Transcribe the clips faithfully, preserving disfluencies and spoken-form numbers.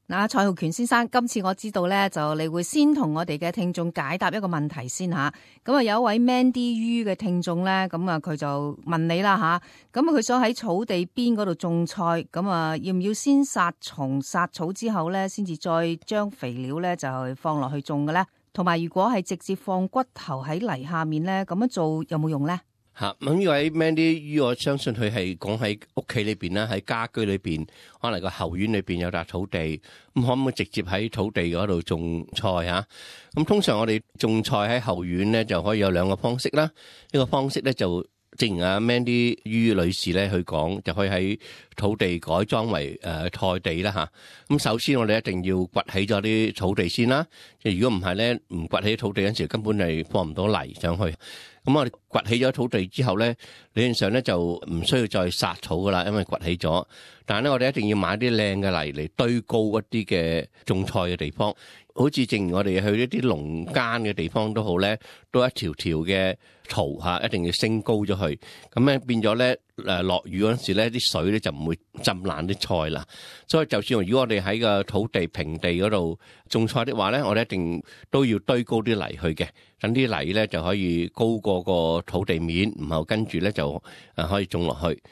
嗱，蔡浩權先生，今次我知道咧，就你會先同我哋嘅聽眾解答一個問題先吓。咁啊，有一位 Mandy Yu 嘅聽眾咧，咁啊佢就問你啦吓。咁啊，佢想喺草地邊嗰度種菜，咁啊要唔要先殺蟲殺草之後咧，先至再將肥料咧就放落去種嘅咧？同埋，如果係直接放骨頭喺泥下面咧，咁樣做有冇用咧？吓，咁呢位 Mandy，我相信佢係講喺屋企裏邊啦，喺家居裏邊，可能個後院裏邊有笪土地，咁可唔可以直接喺土地嗰度種菜吓？咁通常我哋種菜喺後院咧，就可以有兩個方式啦。一個方式咧就正如阿 Mandy 于女士咧去講，就可以喺土地改裝為誒菜地啦吓。咁首先我哋一定要掘起咗啲土地先啦。即係如果唔係咧，唔掘起土地嗰陣時，根本係放唔到泥上去。咁我哋掘起咗土地之後咧，理論上咧就唔需要再殺草噶啦，因為掘起咗。但係咧，我哋一定要買啲靚嘅泥嚟堆高一啲嘅種菜嘅地方。好似正如我哋去一啲農間嘅地方都好咧，都一條條嘅槽嚇，一定要升高咗去。咁咧變咗咧誒落雨嗰陣時咧，啲水咧就唔會浸爛啲菜啦。所以就算如果我哋喺個土地平地嗰度種菜的話咧，我哋一定都要堆高啲泥去嘅，等啲泥咧就可以高過個土地面，然後跟住咧就誒可以種落去。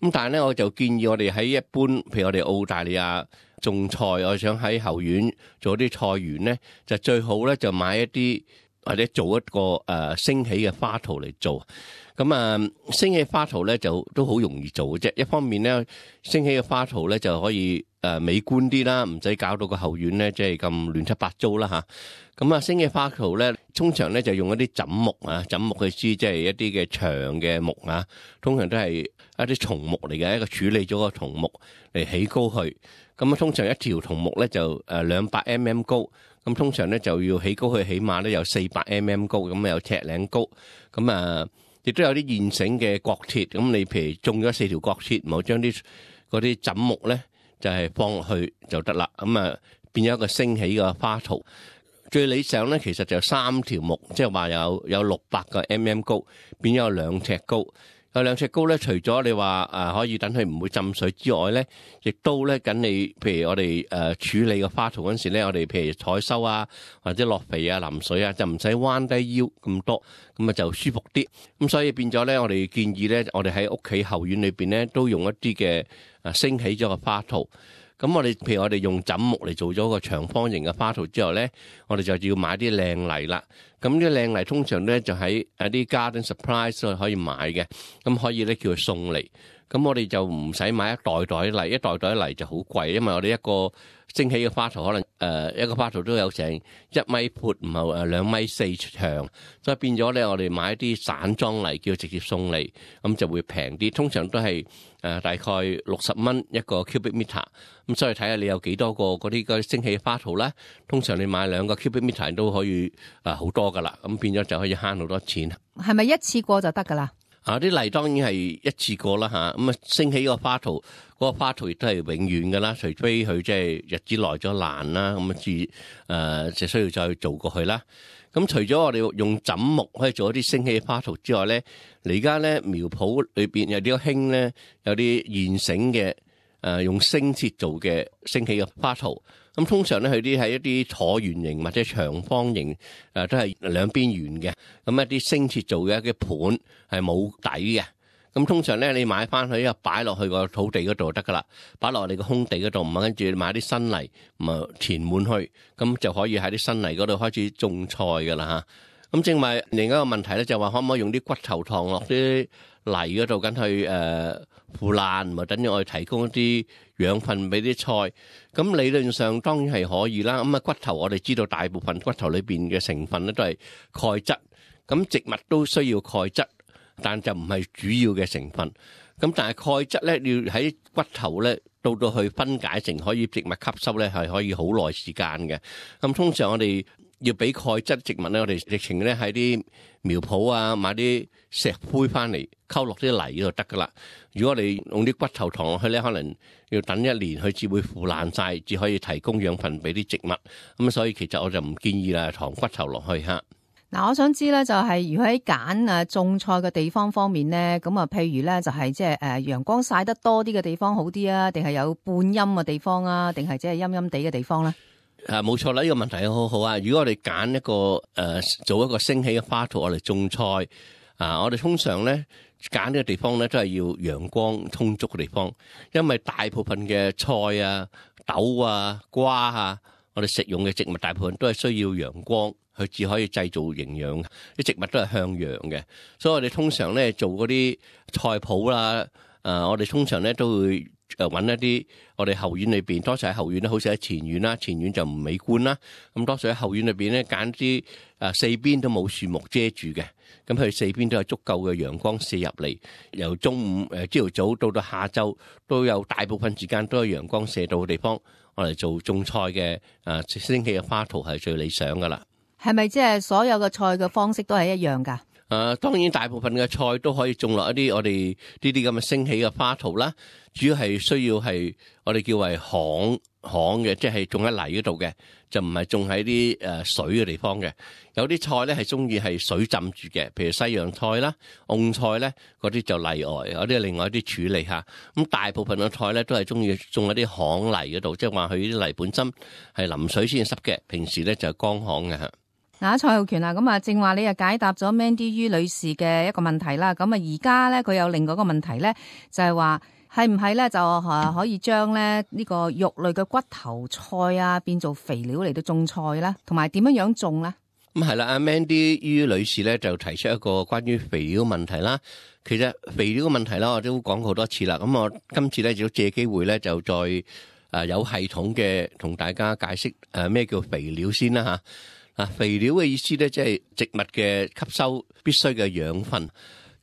咁但係咧，我就建議我哋喺一般，譬如我哋澳大利亞種菜，我想喺後院做啲菜園咧，就最好咧就買一啲或者做一個誒升起嘅花槽嚟做。咁啊，升起花槽咧就都好容易做嘅啫。一方面咧，升起嘅花槽咧就可以誒美觀啲啦，唔使搞到個後院咧即係咁亂七八糟啦吓。咁啊，升起花槽咧，通常咧就用一啲枕木啊，枕木嘅枝即係一啲嘅長嘅木啊，通常都係一啲松木嚟嘅，一個處理咗個松木嚟起高去。咁啊，通常一條松木咧就誒兩百 mm 高，咁通常咧就要起高去，起碼咧有四百 mm 高，咁啊有尺零高。咁啊，亦都有啲現成嘅角鐵，咁你譬如種咗四條角鐵，唔好將啲嗰啲枕木咧就係放落去就得啦。咁啊變咗一個升起嘅花槽。最理想咧，其實就三條木，即係話有有六百個 mm 高，變咗有兩尺高。有兩尺高咧，除咗你話誒可以等佢唔會浸水之外咧，亦都咧緊你，譬如我哋誒處理個花槽嗰陣時咧，我哋譬如採收啊，或者落肥啊、淋水啊，就唔使彎低腰咁多，咁啊就舒服啲。咁所以變咗咧，我哋建議咧，我哋喺屋企後院裏邊咧，都用一啲嘅誒升起咗個花槽。咁我哋譬如我哋用枕木嚟做咗個長方形嘅花槽之後咧，我哋就要買啲靚泥啦。咁啲靚泥通常咧就喺一啲 garden supplies 度可以買嘅，咁可以咧叫佢送嚟。咁我哋就唔使買一袋袋泥，一袋袋泥就好貴，因為我哋一個升起嘅花槽可能誒、呃、一個花槽都有成一米闊，唔係誒兩米四長，所以變咗咧我哋買一啲散裝泥叫直接送嚟，咁就會平啲。通常都係誒、呃、大概六十蚊一個 cubic meter，咁所以睇下你有幾多個嗰啲嗰啲升起嘅花槽咧。通常你買兩個 cubic meter 都可以誒好、呃、多噶啦，咁變咗就可以慳好多錢。係咪一次過就得噶啦？啊！啲泥當然係一次過啦嚇，咁啊升起個花槽，嗰、那個花槽亦都係永遠噶啦，除非佢即係日子耐咗爛啦，咁啊至誒就需要再做過去啦。咁除咗我哋用枕木可以做一啲升起花槽之外咧，而家咧苗圃裏邊有啲興咧，有啲現成嘅誒、呃、用升切做嘅升起嘅花槽。咁通常咧，佢啲係一啲橢圓形或者長方形，誒都係兩邊圓嘅。咁一啲升切做嘅一啲盤係冇底嘅。咁通常咧，你買翻去啊，擺落去個土地嗰度就得噶啦，擺落你個空地嗰度，唔係跟住買啲新泥，咁啊填滿去，咁就可以喺啲新泥嗰度開始種菜噶啦嚇。咁正話另一個問題咧，就話可唔可以用啲骨頭糖落啲泥嗰度，緊去誒腐爛，咪等於我哋提供一啲養分俾啲菜。咁理論上當然係可以啦。咁啊骨頭我哋知道大部分骨頭裏邊嘅成分咧都係鈣質，咁植物都需要鈣質，但就唔係主要嘅成分。咁但係鈣質咧要喺骨頭咧到到去分解成可以植物吸收咧係可以好耐時間嘅。咁通常我哋要俾鈣質植物咧，我哋直情咧喺啲苗圃啊買啲石灰翻嚟溝落啲泥就得噶啦。如果我哋用啲骨頭糖落去咧，可能要等一年佢至會腐爛晒，至可以提供養分俾啲植物。咁所以其實我就唔建議啦，糖骨頭落去嚇。嗱，我想知咧，就係如果喺揀誒種菜嘅地方方面咧，咁啊，譬如咧就係即係誒陽光曬得多啲嘅地方好啲啊，定係有半陰嘅地方啊，定係即係陰陰地嘅地方咧？啊，冇錯啦，呢、這個問題好好啊！如果我哋揀一個誒、呃、做一個升起嘅花圃，我哋種菜啊，我哋通常咧揀呢個地方咧都係要陽光充足嘅地方，因為大部分嘅菜啊、豆啊、瓜啊，我哋食用嘅植物大部分都係需要陽光。佢只可以製造營養，啲植物都係向陽嘅，所以我哋通常咧做嗰啲菜圃啦，誒、呃，我哋通常咧都會誒揾一啲我哋後院裏邊，多數喺後院咧，好似喺前院啦，前院就唔美觀啦，咁多數喺後院裏邊咧揀啲誒四邊都冇樹木遮住嘅，咁佢四邊都有足夠嘅陽光射入嚟，由中午誒朝頭早到到下晝都有大部分時間都有陽光射到嘅地方，我哋做種菜嘅誒升起嘅花圃係最理想噶啦。係咪即係所有嘅菜嘅方式都係一樣噶？誒、呃，當然大部分嘅菜都可以種落一啲我哋呢啲咁嘅升起嘅花圃啦。主要係需要係我哋叫為巷巷嘅，即係種喺泥嗰度嘅，就唔係種喺啲誒水嘅地方嘅。有啲菜咧係中意係水浸住嘅，譬如西洋菜啦、蕹菜咧，嗰啲就例外，有啲另外一啲處理下。咁大部分嘅菜咧都係中意種喺啲巷泥嗰度，即係話佢啲泥本身係淋水先濕嘅，平時咧就係乾巷嘅吓。嗱，蔡浩權啊，咁啊，正話你又解答咗 Mandy 于女士嘅一個問題啦。咁啊，而家咧佢有另外一個問題咧，就係話係唔係咧就誒可以將咧呢個肉類嘅骨頭菜啊變做肥料嚟到種菜咧，同埋點樣樣種咧？咁係啦，阿 Mandy 于女士咧就提出一個關於肥料問題啦。其實肥料嘅問題啦，我都講過好多次啦。咁我今次咧就借機會咧就再誒有系統嘅同大家解釋誒咩叫肥料先啦吓。啊，肥料嘅意思咧，即係植物嘅吸收必須嘅養分。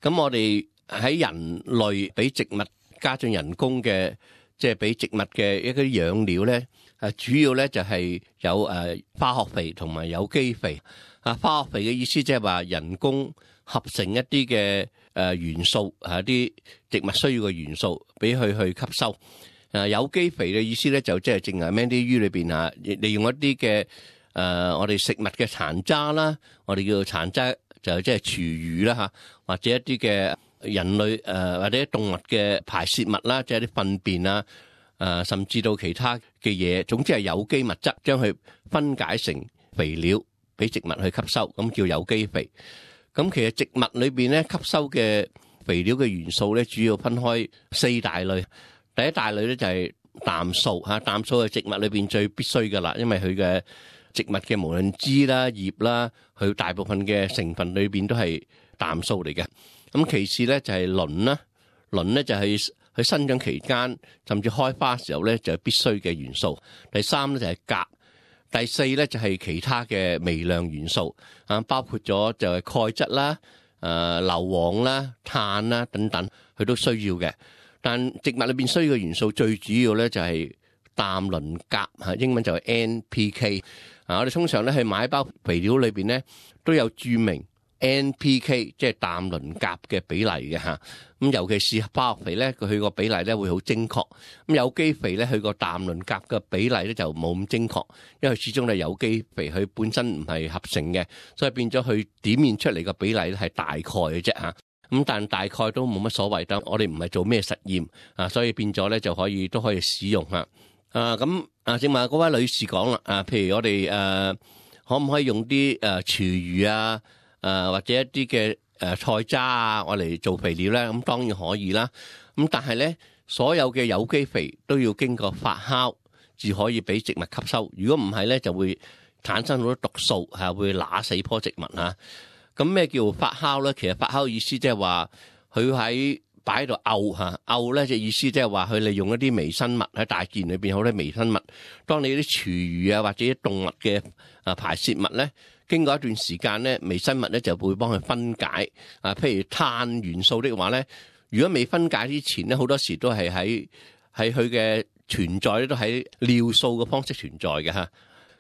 咁我哋喺人類俾植物加進人工嘅，即係俾植物嘅一啲養料咧，誒主要咧就係有誒化學肥同埋有機肥。啊，化學肥嘅意思即係話人工合成一啲嘅誒元素，係一啲植物需要嘅元素，俾佢去吸收。誒有機肥嘅意思咧，就即係正係 Mandy 于裏邊啊，利用一啲嘅。誒、呃，我哋食物嘅殘渣啦，我哋叫做殘渣，就即係廚餘啦吓，或者一啲嘅人類誒、呃、或者動物嘅排泄物啦，即係啲糞便啊，誒、呃，甚至到其他嘅嘢，總之係有機物質，將佢分解成肥料俾植物去吸收，咁叫有機肥。咁其實植物裏邊咧吸收嘅肥料嘅元素咧，主要分開四大類。第一大類咧就係氮素吓，氮素係植物裏邊最必須噶啦，因為佢嘅植物嘅無論枝啦、葉啦，佢大部分嘅成分裏邊都係氮素嚟嘅。咁其次咧就係磷啦，磷咧就係佢生長期間甚至開花嘅時候咧就係必須嘅元素。第三咧就係鉀，第四咧就係其他嘅微量元素啊，包括咗就係鈣質啦、誒硫磺啦、碳啦等等，佢都需要嘅。但植物裏邊需要嘅元素最主要咧就係氮磷鉀嚇，英文就係 N P K。啊，我哋通常咧去買包肥料裏邊咧都有註明 N P K， 即係氮磷鉀嘅比例嘅嚇。咁尤其是化學肥咧，佢個比例咧會好精確。咁有機肥咧，佢個氮磷鉀嘅比例咧就冇咁精確，因為始終係有機肥，佢本身唔係合成嘅，所以變咗佢點現出嚟嘅比例咧係大概嘅啫嚇。咁但大概都冇乜所謂，但我哋唔係做咩實驗啊，所以變咗咧就可以都可以使用嚇。啊咁啊，正話嗰位女士講啦，啊，譬如我哋誒、啊、可唔可以用啲誒廚餘啊，誒、啊、或者一啲嘅誒菜渣啊，我嚟做肥料咧？咁當然可以啦。咁但係咧，所有嘅有機肥都要經過發酵，至可以俾植物吸收。如果唔係咧，就會產生好多毒素，係會揦死棵植物啊。咁咩叫發酵咧？其實發酵意思即係話佢喺擺喺度漚嚇，漚咧就意思即係話佢利用一啲微生物喺大自然裏邊好多微生物。當你啲廚餘啊或者啲動物嘅啊排泄物咧，經過一段時間咧，微生物咧就會幫佢分解。啊，譬如碳元素的話咧，如果未分解之前咧，好多時都係喺喺佢嘅存在咧，都喺尿素嘅方式存在嘅嚇。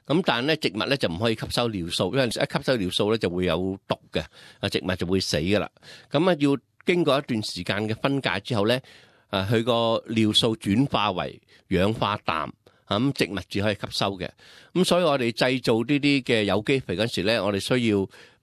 咁但係咧，植物咧就唔可以吸收尿素，因為一吸收尿素咧就會有毒嘅，啊植物就會死噶啦。咁啊要經過一段時間嘅分解之後咧，啊佢個尿素轉化為氧化氮，咁植物只可以吸收嘅。咁所以我哋製造呢啲嘅有機肥嗰時咧，我哋需要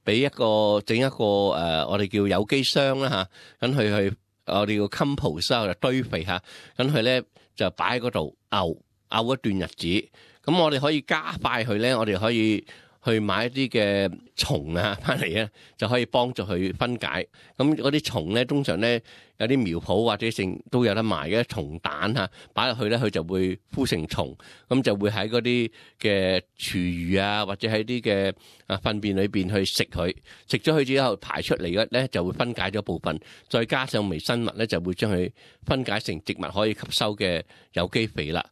俾一個整一個誒、呃，我哋叫有機箱啦嚇，咁佢去我哋叫 compost 就堆肥嚇，咁佢咧就擺喺嗰度漚漚一段日子，咁我哋可以加快佢咧，我哋可以去買一啲嘅蟲啊翻嚟咧，就可以幫助佢分解。咁嗰啲蟲咧，通常咧有啲苗圃或者剩都有得賣嘅蟲蛋嚇，擺落去咧佢就會孵成蟲，咁就會喺嗰啲嘅廚餘啊，或者喺啲嘅啊糞便裏邊去食佢，食咗佢之後排出嚟嘅咧就會分解咗部分，再加上微生物咧就會將佢分解成植物可以吸收嘅有機肥啦。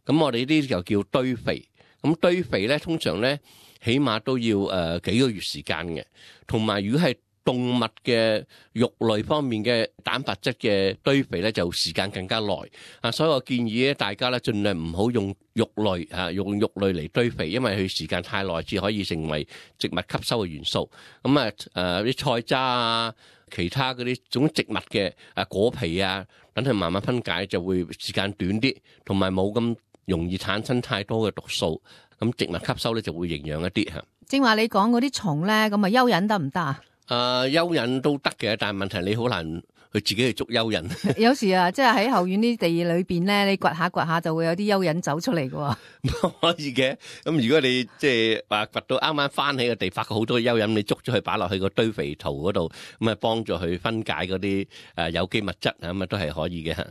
咁我哋呢啲就叫堆肥。咁堆肥咧通常咧，起碼都要誒、呃、幾個月時間嘅，同埋如果係動物嘅肉類方面嘅蛋白質嘅堆肥咧，就時間更加耐啊！所以我建議咧，大家咧盡量唔好用肉類啊，用肉類嚟堆肥，因為佢時間太耐，至可以成為植物吸收嘅元素。咁啊誒啲菜渣啊，其他嗰啲種植物嘅啊果皮啊，等佢慢慢分解，就會時間短啲，同埋冇咁容易產生太多嘅毒素。咁植物吸收咧就會營養一啲嚇。正話你講嗰啲蟲咧，咁啊蚯蚓得唔得啊？誒、呃、蚯蚓都得嘅，但係問題你好難去自己去捉蚯蚓。有時啊，即係喺後院啲地裏邊咧，你掘下掘下就會有啲蚯蚓走出嚟嘅。可以嘅。咁如果你即係話掘到啱啱翻起嘅地，發覺好多蚯蚓，你捉咗佢擺落去個堆肥槽嗰度，咁啊幫助佢分解嗰啲誒有機物質啊，咁啊都係可以嘅嚇。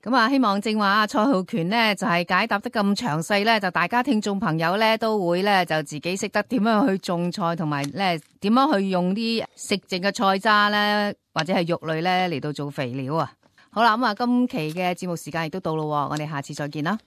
咁啊，希望正話阿蔡浩權呢就係解答得咁詳細咧，就大家聽眾朋友咧都會咧就自己識得點樣去種菜，同埋咧點樣去用啲食剩嘅菜渣咧或者係肉類咧嚟到做肥料啊。好啦，咁啊今期嘅節目時間亦都到咯，我哋下次再見啦。